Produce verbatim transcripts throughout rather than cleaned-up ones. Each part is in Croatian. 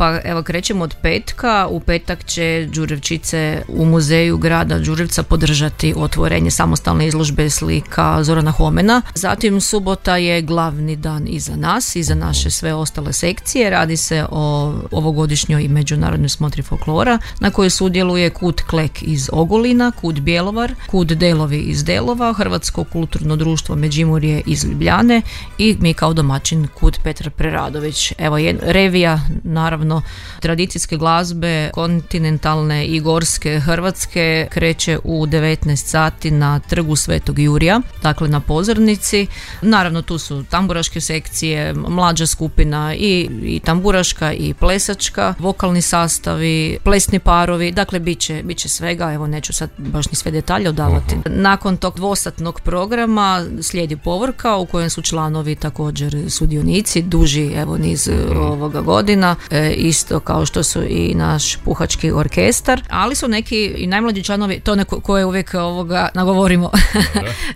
Pa evo krećemo od petka. U petak će Đurđevčice u muzeju grada Đurđevca podržati otvorenje samostalne izložbe slika Zorana Homena. Zatim subota je glavni dan i za nas i za naše sve ostale sekcije. Radi se o ovogodišnjoj međunarodnoj smotri folklora na kojoj sudjeluje Kut Klek iz Ogulina, Kut Bjelovar, Kut Delovi iz Delova, Hrvatsko kulturno društvo Međimurje iz Ljubljane i mi kao domaćin Kut Petar Preradović. Evo je revija naravno tradicijske glazbe kontinentalne i gorske Hrvatske kreće u devetnaest sati na trgu Svetog Jurija, dakle na pozornici. Naravno tu su tamburaške sekcije, mlađa skupina i, i tamburaška i plesačka, vokalni sastavi, plesni parovi, dakle bit će, bit će svega, evo neću sad baš ni sve detalje odavati. Nakon tog dvosatnog programa slijedi povorka u kojem su članovi također sudionici, duži evo niz ovoga godina, e, isto kao što su i naš puhački orkestar, ali su neki i najmlađi članovi, to neko koje uvijek ovoga nagovorimo,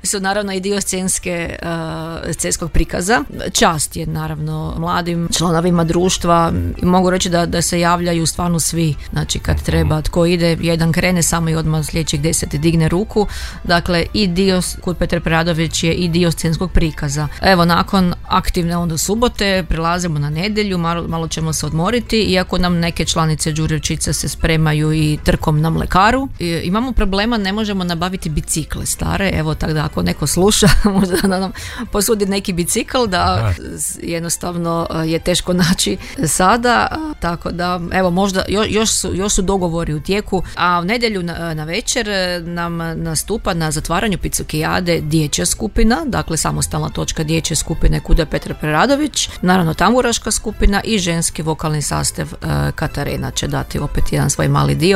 su naravno i dio scenske, uh, scenskog prikaza. Čast je naravno mladim članovima društva i mogu reći da, da se javljaju stvarno svi, znači kad treba, tko ide, jedan krene samo i odmah sljedećih deset digne ruku, dakle i dio, Kut Petar Preradović je i dio scenskog prikaza. Evo nakon aktivne onda subote prelazimo na nedjelju, malo, malo ćemo se odmoriti, iako nam neke članice Đurđevčice se spremaju i trkom na mlekaru. I, imamo problema, ne možemo nabaviti bicikle stare, evo tako da ako neko sluša možda da nam posudi neki bicikl, da jednostavno je teško naći sada, tako da evo možda još su, još su dogovori u tijeku, a u nedjelju na, na večer nam nastupa na zatvaranju Picukijade dječja skupina, dakle samostalna točka dječje skupine Kuda Petar Preradović, naravno tamburaška skupina i ženski vokalni sastav uh, Katarina će dati opet jedan svoj mali dio.